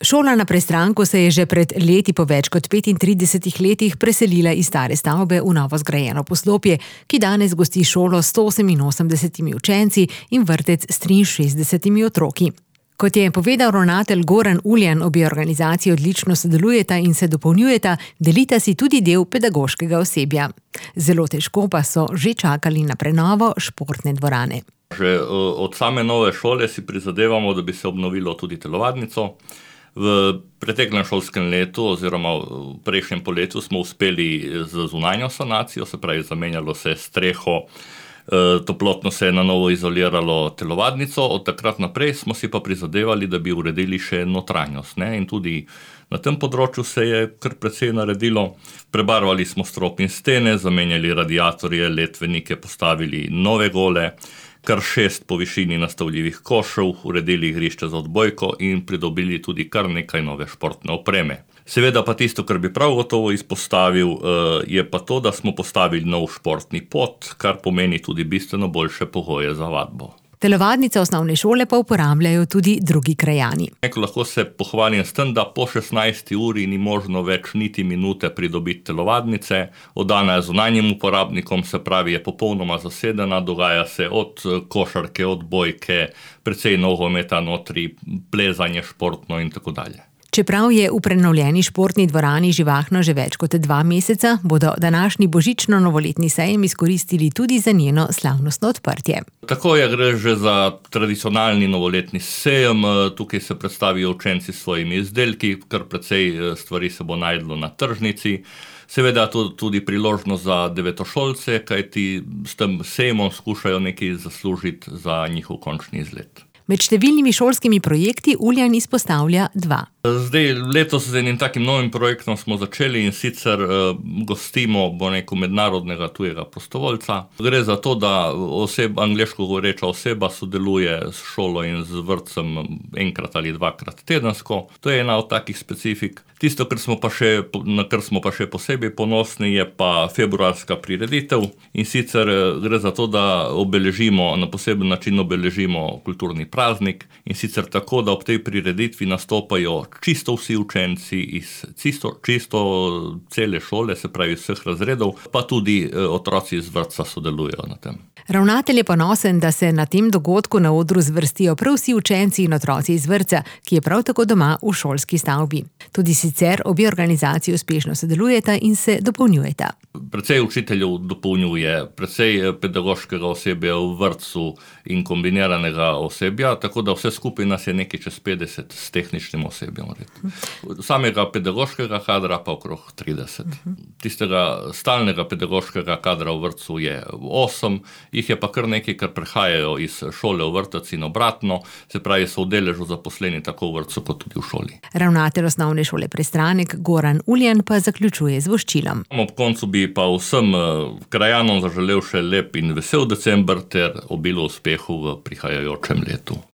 Šola na Prestranku se je že pred leti po več kot 35 letih preselila iz stare stavbe v novo zgrajeno poslopje, ki danes gosti šolo s 188 učenci in vrtec s 63 otroki. Kot je povedal ravnatelj Goran Uljan, obe organizaciji odlično sodelujeta in se dopolnjujeta, delita si tudi del pedagoškega osebja. Zelo težko pa so že čakali na prenovo športne dvorane. Že od same nove šole si prizadevamo, da bi se obnovilo tudi telovadnico. V preteklem šolskem letu oziroma v prejšnjem poletju smo uspeli z zunanjo sanacijo, se pravi zamenjalo se streho, toplotno se je na novo izoliralo telovadnico, od takrat naprej smo si pa prizadevali, da bi uredili še notranjost, ne? In tudi na tem področju se je kar precej naredilo. Prebarvali smo strop in stene, zamenjali radiatorje, letvenike, postavili nove gole, kar 6 po višini nastavljivih košev, uredili igrišče za odbojko in pridobili tudi kar nekaj nove športne opreme. Seveda pa tisto, kar bi prav gotovo izpostavil, je pa to, da smo postavili nov športni pod, kar pomeni tudi bistveno boljše pogoje za vadbo. Telovadnice osnovne šole pa uporabljajo tudi drugi krajani. Lahko se pohvalim s tem, da po 16. uri ni možno več niti minute pridobiti telovadnice. Oddana je zunanjim uporabnikom, se pravi je popolnoma zasedena, dogaja se od košarke, odbojke, precej nogometa notri, plezanje športno in tako dalje. Čeprav je v prenovljeni športni dvorani živahno že več kot 2 meseca, bodo današnji božično-novoletni sejem izkoristili tudi za njeno slavnostno odprtje. Tako je, gre že za tradicionalni novoletni sejem, tukaj se predstavijo učenci s svojimi izdelki, kar precej stvari se bo najdlo na tržnici. Seveda tudi priložnost za devetošolce, kajti s tem sejmom skušajo nekaj zaslužiti za njihov končni izlet. Med številnimi šolskimi projekti Uljan izpostavlja 2. Zdaj, letos z enim takim novim projektom smo začeli in sicer gostimo, mednarodnega tujega prostovoljca. Gre za to, da angleško govoreča oseba sodeluje s šolo in z vrtcem enkrat ali 2-krat tedensko. To je ena od takih specifik. Tisto, na kar smo pa še posebej ponosni, je pa februarska prireditev. In sicer gre za to, da na poseben način obeležimo kulturni praznik. In sicer tako, da ob tej prireditvi nastopajo čisto vsi učenci iz čisto cele šole, se pravi vseh razredov, pa tudi otroci iz vrtca sodelujejo na tem. Ravnatelj je ponosen, da se na tem dogodku na odru zvrstijo prav vsi učenci in otroci iz vrtca, ki je prav tako doma v šolski stavbi. Tudi sicer obe organizaciji uspešno sodelujeta in se dopolnjujeta. Precej učiteljev dopolnjuje, precej pedagoškega osebja v vrtcu in kombiniranega osebja, tako da vse skupaj nas je nekaj čez 50 s tehničnim osebjem. Samega pedagoškega kadra pa okrog 30. Tistega stalnega pedagoškega kadra v vrtcu je 8, jih je pa kar nekaj, kar prehajajo iz šole v vrtec in obratno, se pravi so v deležu zaposleni tako v vrtcu kot tudi v šoli. Ravnatelj osnovne šole Prestranek Goran Uljan pa zaključuje z voščilom. Ob koncu bi pa vsem krajanom zaželel še lep in vesel december ter obilo uspehu v prihajajočem letu.